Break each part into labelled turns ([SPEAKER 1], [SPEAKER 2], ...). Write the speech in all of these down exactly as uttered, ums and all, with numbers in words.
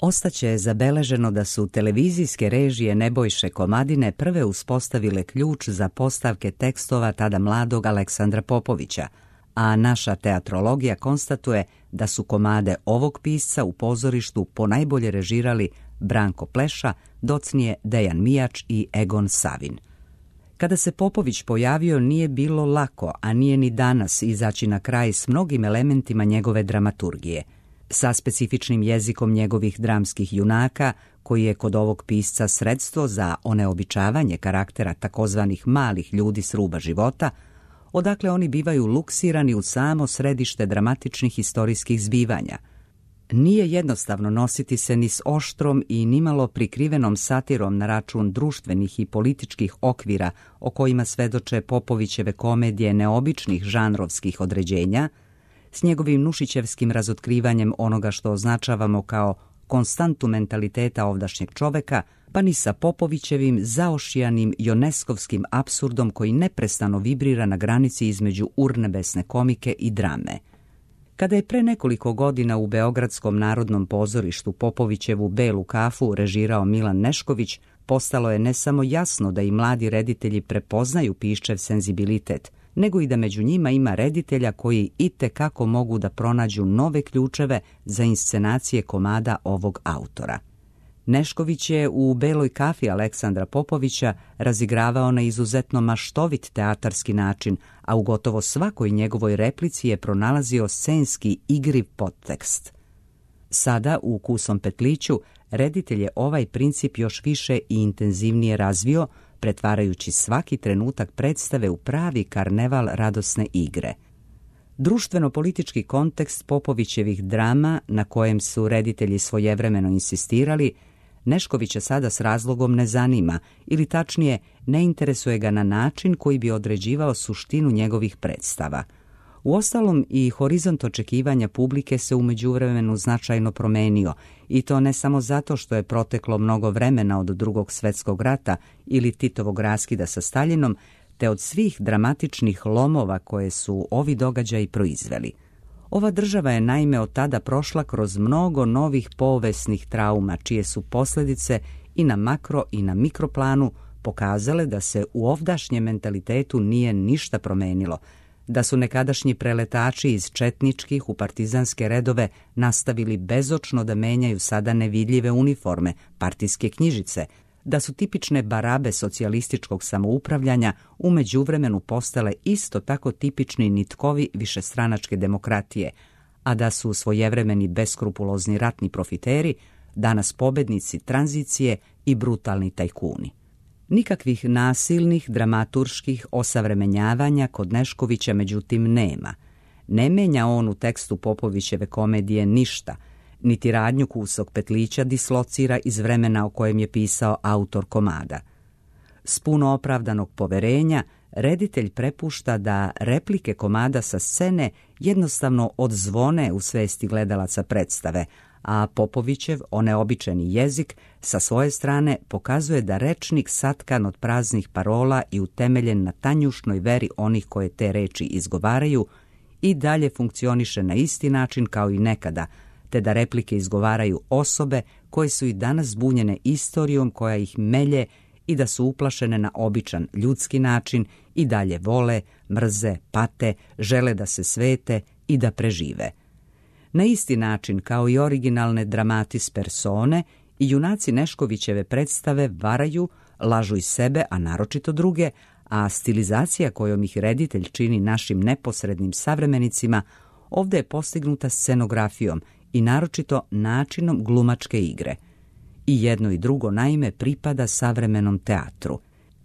[SPEAKER 1] Ostaće zabeleženo da su televizijske režije Nebojše Komadine prve uspostavile ključ za postavke tekstova tada mladog Aleksandra Popovića, a naša teatrologija konstatuje da su komade ovog pisca u pozorištu ponajbolje režirali Branko Pleša, docnije Dejan Mijač i Egon Savin. Kada se Popović pojavio, nije bilo lako, a nije ni danas, izaći na kraj s mnogim elementima njegove dramaturgije. Sa specifičnim jezikom njegovih dramskih junaka, koji je kod ovog pisca sredstvo za oneobičavanje karaktera takozvanih malih ljudi s ruba života, odakle oni bivaju luksirani u samo središte dramatičnih historijskih zbivanja. Nije jednostavno nositi se ni s oštrom i nimalo prikrivenom satirom na račun društvenih i političkih okvira o kojima svedoče Popovićeve komedije neobičnih žanrovskih određenja, s njegovim nušićevskim razotkrivanjem onoga što označavamo kao konstantu mentaliteta ovdašnjeg čoveka, pa ni sa Popovićevim zaošijanim joneskovskim apsurdom koji neprestano vibrira na granici između urnebesne komike i drame. Kada je pre nekoliko godina u Beogradskom narodnom pozorištu Popovićevu Belu kafu režirao Milan Nešković, postalo je ne samo jasno da i mladi reditelji prepoznaju Piščev senzibilitet, nego i da među njima ima reditelja koji itekako mogu da pronađu nove ključeve za inscenacije komada ovog autora. Nešković je u Beloj kafi Aleksandra Popovića razigravao na izuzetno maštovit teatarski način, a u gotovo svakoj njegovoj replici je pronalazio scenski igriv podtekst. Sada, u Kusom petliću, reditelj je ovaj princip još više i intenzivnije razvio, pretvarajući svaki trenutak predstave u pravi karneval radosne igre. Društveno-politički kontekst Popovićevih drama, na kojem su reditelji svojevremeno insistirali, Neškovića sada s razlogom ne zanima, ili tačnije, ne interesuje ga na način koji bi određivao suštinu njegovih predstava. Uostalom, i horizont očekivanja publike se u međuvremenu značajno promenio, i to ne samo zato što je proteklo mnogo vremena od Drugog svjetskog rata ili Titovog raskida sa Staljinom, te od svih dramatičnih lomova koje su ovi događaji proizveli. Ova država je naime od tada prošla kroz mnogo novih povesnih trauma, čije su posljedice i na makro i na mikroplanu pokazale da se u ovdašnjem mentalitetu nije ništa promenilo, da su nekadašnji preletači iz četničkih u partizanske redove nastavili bezočno da menjaju sada nevidljive uniforme, partijske knjižice, da su tipične barabe socijalističkog samoupravljanja u međuvremenu postale isto tako tipični nitkovi višestranačke demokratije, a da su svojevremeni beskrupulozni ratni profiteri danas pobednici tranzicije i brutalni tajkuni. Nikakvih nasilnih, dramaturških osavremenjavanja kod Neškovića međutim nema. Ne menja on u tekstu Popovićeve komedije ništa, niti radnju Kusog petlića dislocira iz vremena o kojem je pisao autor komada. S puno opravdanog poverenja, reditelj prepušta da replike komada sa scene jednostavno odzvone u svesti gledalaca predstave, a Popovićev oneobičeni jezik sa svoje strane pokazuje da rečnik satkan od praznih parola i utemeljen na tanjušnoj veri onih koje te reči izgovaraju i dalje funkcioniše na isti način kao i nekada, te da replike izgovaraju osobe koje su i danas zbunjene istorijom koja ih melje i da su uplašene na običan ljudski način i dalje vole, mrze, pate, žele da se svete i da prežive. Na isti način kao i originalne dramatis persone, i junaci Neškovićeve predstave varaju, lažu i sebe, a naročito druge, a stilizacija kojom ih reditelj čini našim neposrednim savremenicima ovdje je postignuta scenografijom i naročito načinom glumačke igre. I jedno i drugo naime pripada savremenom teatru.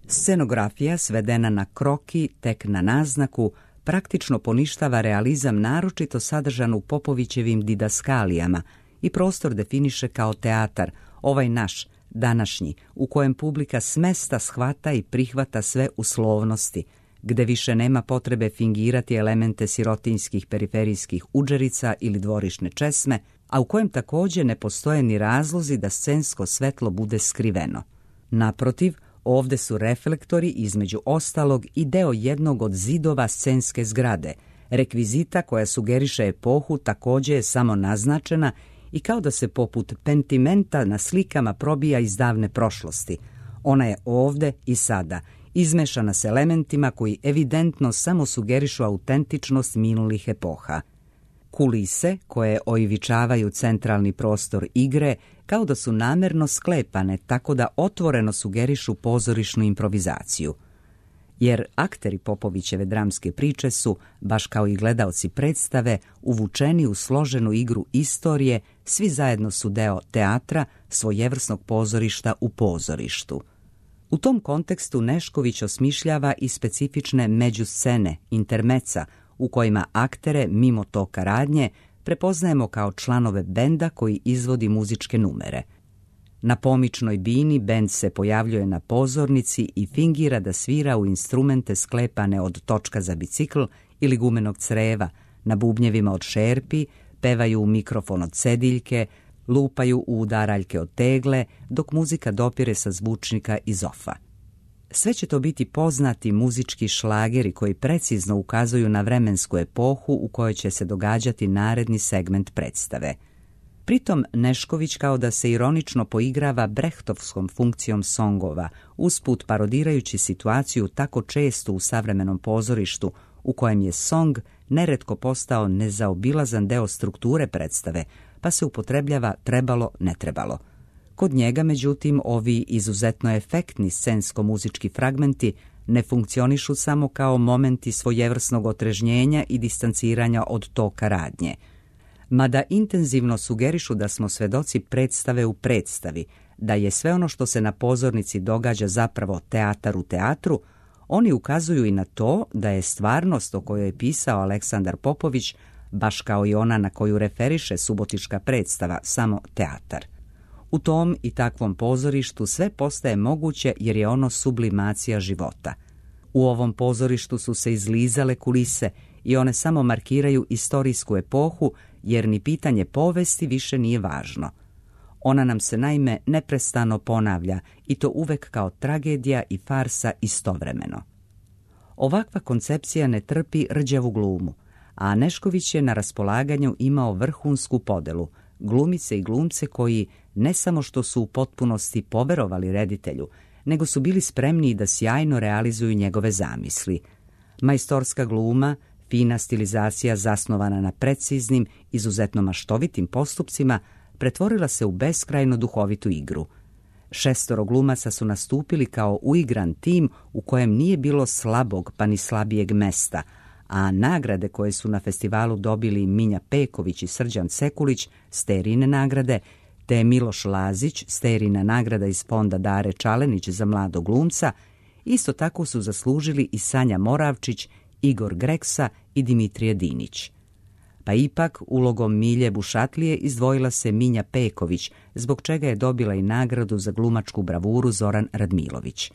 [SPEAKER 1] Scenografija, svedena na kroki, tek na naznaku, praktično poništava realizam naročito sadržan u Popovićevim didaskalijama i prostor definiše kao teatar, ovaj naš, današnji, u kojem publika smesta shvata i prihvata sve uslovnosti, gde više nema potrebe fingirati elemente sirotinjskih periferijskih udžerica ili dvorišne česme, a u kojem također ne postoje ni razlozi da scensko svetlo bude skriveno. Naprotiv, ovde su reflektori između ostalog i deo jednog od zidova scenske zgrade. Rekvizita koja sugeriše epohu također je samo naznačena i kao da se poput pentimenta na slikama probija iz davne prošlosti. Ona je ovde i sada, izmešana s elementima koji evidentno samo sugerišu autentičnost minulih epoha. Kulise, koje oivičavaju centralni prostor igre, kao da su namerno sklepane tako da otvoreno sugerišu pozorišnu improvizaciju. Jer akteri Popovićeve dramske priče su, baš kao i gledaoci predstave, uvučeni u složenu igru istorije, svi zajedno su deo teatra, svojevrsnog pozorišta u pozorištu. U tom kontekstu Nešković osmišljava i specifične međuscene, intermeca, u kojima aktere, mimo toka radnje, prepoznajemo kao članove benda koji izvodi muzičke numere. Na pomičnoj bini bend se pojavljuje na pozornici i fingira da svira u instrumente sklepane od točka za bicikl ili gumenog creva, na bubnjevima od šerpi, pevaju u mikrofon od cediljke, lupaju u udaraljke od tegle, dok muzika dopire sa zvučnika iz ofa. Sve će to biti poznati muzički šlageri koji precizno ukazuju na vremensku epohu u kojoj će se događati naredni segment predstave. Pritom Nešković kao da se ironično poigrava brehtovskom funkcijom songova, usput parodirajući situaciju tako često u savremenom pozorištu u kojem je song neretko postao nezaobilazan deo strukture predstave, pa se upotrebljava trebalo, ne trebalo. Kod njega, međutim, ovi izuzetno efektni scensko-muzički fragmenti ne funkcionišu samo kao momenti svojevrsnog otrežnjenja i distanciranja od toka radnje. Mada intenzivno sugerišu da smo svedoci predstave u predstavi, da je sve ono što se na pozornici događa zapravo teatar u teatru, oni ukazuju i na to da je stvarnost o kojoj je pisao Aleksandar Popović, baš kao i ona na koju referiše subotička predstava, samo teatar. U tom i takvom pozorištu sve postaje moguće jer je ono sublimacija života. U ovom pozorištu su se izlizale kulise i one samo markiraju istorijsku epohu jer ni pitanje povesti više nije važno. Ona nam se naime neprestano ponavlja i to uvek kao tragedija i farsa istovremeno. Ovakva koncepcija ne trpi rđavu glumu, a Nešković je na raspolaganju imao vrhunsku podelu, glumice i glumce koji ne samo što su u potpunosti poverovali reditelju, nego su bili spremni da sjajno realizuju njegove zamisli. Majstorska gluma, fina stilizacija zasnovana na preciznim, izuzetno maštovitim postupcima, pretvorila se u beskrajno duhovitu igru. Šestoro glumaca su nastupili kao uigran tim u kojem nije bilo slabog pa ni slabijeg mesta, a nagrade koje su na festivalu dobili Minja Peković i Srđan Sekulić, Sterine nagrade, te Miloš Lazić, Sterina nagrada iz fonda Dare Čalenić za mladog glumca, isto tako su zaslužili i Sanja Moravčić, Igor Greksa i Dimitrije Dinić. Pa ipak ulogom Milje Bušatlije izdvojila se Minja Peković, zbog čega je dobila i nagradu za glumačku bravuru Zoran Radmilović.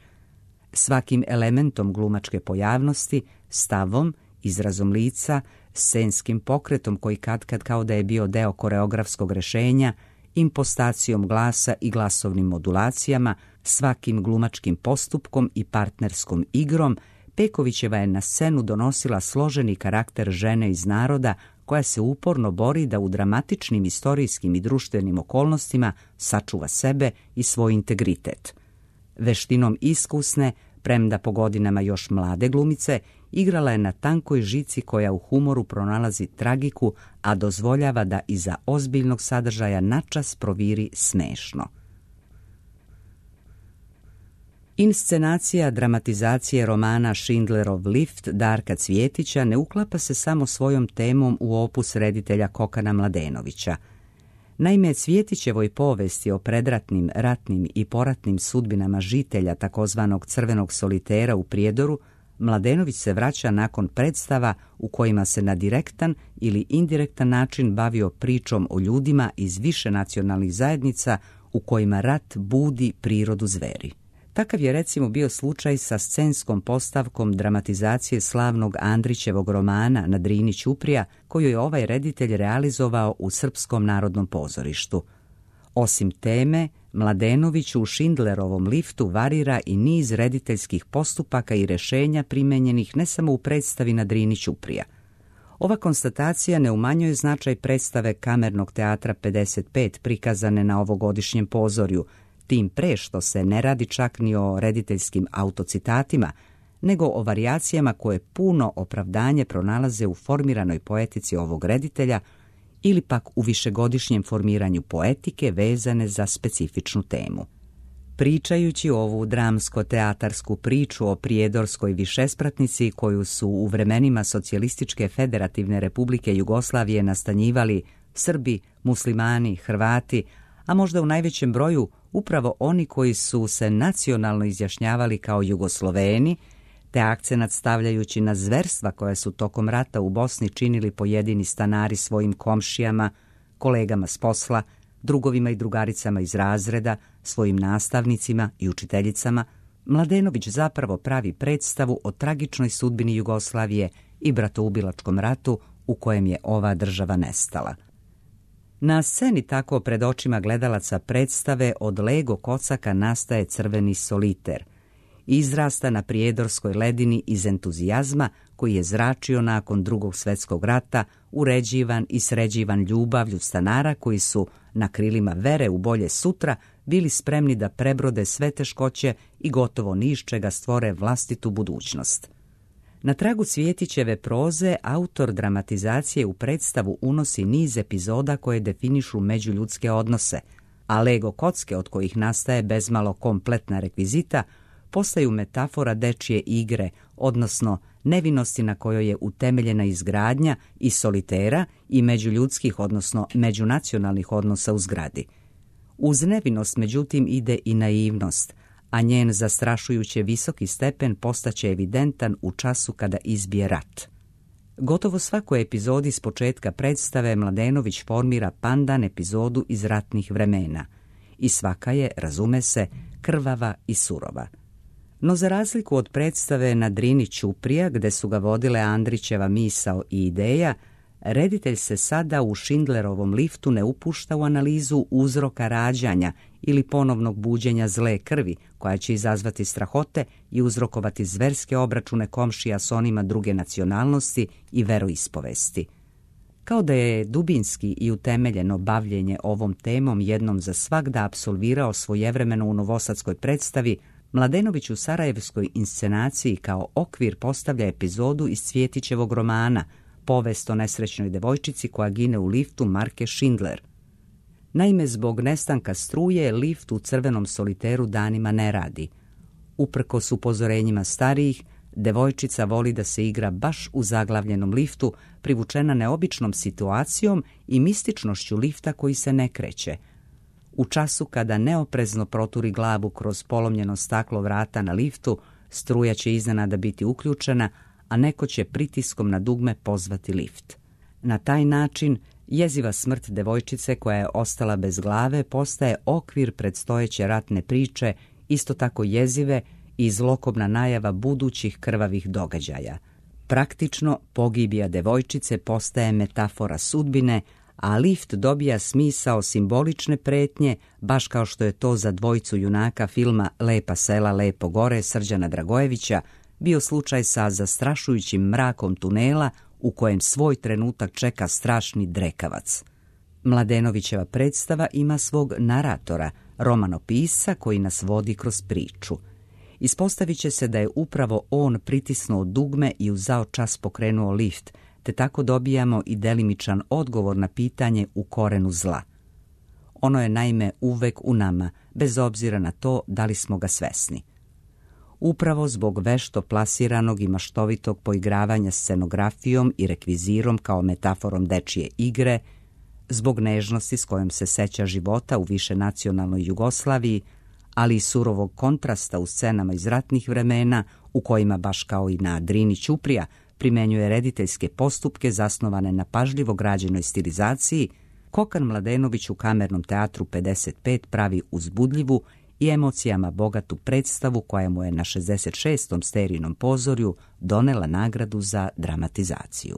[SPEAKER 1] Svakim elementom glumačke pojavnosti, stavom, izrazom lica, scenskim pokretom koji katkad kao da je bio deo koreografskog rešenja, impostacijom glasa i glasovnim modulacijama, svakim glumačkim postupkom i partnerskom igrom, Pekovićeva je na scenu donosila složeni karakter žene iz naroda koja se uporno bori da u dramatičnim istorijskim i društvenim okolnostima sačuva sebe i svoj integritet. Veštinom iskusne, premda po godinama još mlade glumice, igrala je na tankoj žici koja u humoru pronalazi tragiku, a dozvoljava da iza ozbiljnog sadržaja načas proviri smešno. Inscenacija dramatizacije romana Schindlerov lift Darka Cvjetića ne uklapa se samo svojom temom u opus reditelja Kokana Mladenovića. Naime, Cvjetićevoj povesti o predratnim, ratnim i poratnim sudbinama žitelja takozvanog crvenog solitera u Prijedoru, Mladenović se vraća nakon predstava u kojima se na direktan ili indirektan način bavio pričom o ljudima iz više nacionalnih zajednica u kojima rat budi prirodu zveri. Takav je recimo bio slučaj sa scenskom postavkom dramatizacije slavnog Andrićevog romana Na Drini Ćuprija, koju je ovaj reditelj realizovao u Srpskom narodnom pozorištu. Osim teme, Mladenović u Schindlerovom liftu varira i niz rediteljskih postupaka i rešenja primenjenih ne samo u predstavi Na Drini Ćuprija. Ova konstatacija ne umanjuje značaj predstave Kamernog teatra pedeset pet prikazane na ovogodišnjem pozorju, tim pre što se ne radi čak ni o rediteljskim autocitatima, nego o varijacijama koje puno opravdanje pronalaze u formiranoj poetici ovog reditelja ili pak u višegodišnjem formiranju poetike vezane za specifičnu temu. Pričajući ovu dramsko-teatarsku priču o prijedorskoj višespratnici koju su u vremenima Socijalističke federativne republike Jugoslavije nastanjivali Srbi, muslimani, Hrvati, a možda u najvećem broju upravo oni koji su se nacionalno izjašnjavali kao Jugosloveni, te akcenat stavljajući na zverstva koja su tokom rata u Bosni činili pojedini stanari svojim komšijama, kolegama s posla, drugovima i drugaricama iz razreda, svojim nastavnicima i učiteljicama, Mladenović zapravo pravi predstavu o tragičnoj sudbini Jugoslavije i bratoubilačkom ratu u kojem je ova država nestala. Na sceni tako pred očima gledalaca predstave od Lego kocaka nastaje crveni soliter. Izrasta na prijedorskoj ledini iz entuzijazma koji je zračio nakon Drugog svjetskog rata, uređivan i sređivan ljubavlju stanara koji su na krilima vere u bolje sutra bili spremni da prebrode sve teškoće i gotovo ni iz čega stvore vlastitu budućnost. Na tragu Cvjetićeve proze autor dramatizacije u predstavu unosi niz epizoda koje definišu međuljudske odnose, a Lego kocke od kojih nastaje bezmalo kompletna rekvizita postaju metafora dečje igre, odnosno nevinosti na kojoj je utemeljena izgradnja i solitera i međuljudskih, odnosno međunacionalnih odnosa u zgradi. Uz nevinost, međutim, ide i naivnost, a njen zastrašujuće visoki stepen postaće evidentan u času kada izbije rat. Gotovo svakoj epizodi s početka predstave Mladenović formira pandan epizodu iz ratnih vremena i svaka je, razume se, krvava i surova. No za razliku od predstave na Drini Ćuprija, gde su ga vodile Andrićeva misao i ideja, reditelj se sada u Schindlerovom liftu ne upušta u analizu uzroka rađanja ili ponovnog buđenja zle krvi, koja će izazvati strahote i uzrokovati zverske obračune komšija s onima druge nacionalnosti i veroispovesti. Kao da je dubinski i utemeljeno bavljenje ovom temom jednom za svagda apsolvirao svojevremeno u novosadskoj predstavi, Mladenović u sarajevskoj inscenaciji kao okvir postavlja epizodu iz Cvjetićevog romana Povest o nesrećnoj devojčici koja gine u liftu marke Schindler. Naime, zbog nestanka struje, lift u crvenom soliteru danima ne radi. Uprkos upozorenjima starijih, devojčica voli da se igra baš u zaglavljenom liftu, privučena neobičnom situacijom i mističnošću lifta koji se ne kreće. U času kada neoprezno proturi glavu kroz polomljeno staklo vrata na liftu, struja će iznenada biti uključena, a neko će pritiskom na dugme pozvati lift. Na taj način, jeziva smrt devojčice koja je ostala bez glave postaje okvir predstojeće ratne priče, isto tako jezive i zlokobna najava budućih krvavih događaja. Praktično, pogibija devojčice postaje metafora sudbine, a lift dobija smisao simbolične pretnje, baš kao što je to za dvojicu junaka filma Lepa sela, lepo gore Srđana Dragojevića bio slučaj sa zastrašujućim mrakom tunela u kojem svoj trenutak čeka strašni drekavac. Mladenovićeva predstava ima svog naratora, romanopisca koji nas vodi kroz priču. Ispostavit će se da je upravo on pritisnuo dugme i u zao čas pokrenuo lift, te tako dobijamo i delimičan odgovor na pitanje u korenu zla. Ono je naime uvek u nama, bez obzira na to da li smo ga svesni. Upravo zbog vešto plasiranog i maštovitog poigravanja scenografijom i rekvizirom kao metaforom dečije igre, zbog nežnosti s kojom se seća života u višenacionalnoj Jugoslaviji, ali i surovog kontrasta u scenama iz ratnih vremena u kojima, baš kao i na Drini Ćuprija, primenjuje rediteljske postupke zasnovane na pažljivo građenoj stilizaciji, Kokan Mladenović u Kamernom teatru pedeset pet pravi uzbudljivu i emocijama bogatu predstavu koja mu je na šezdeset šestom sterijnom pozorju donela nagradu za dramatizaciju.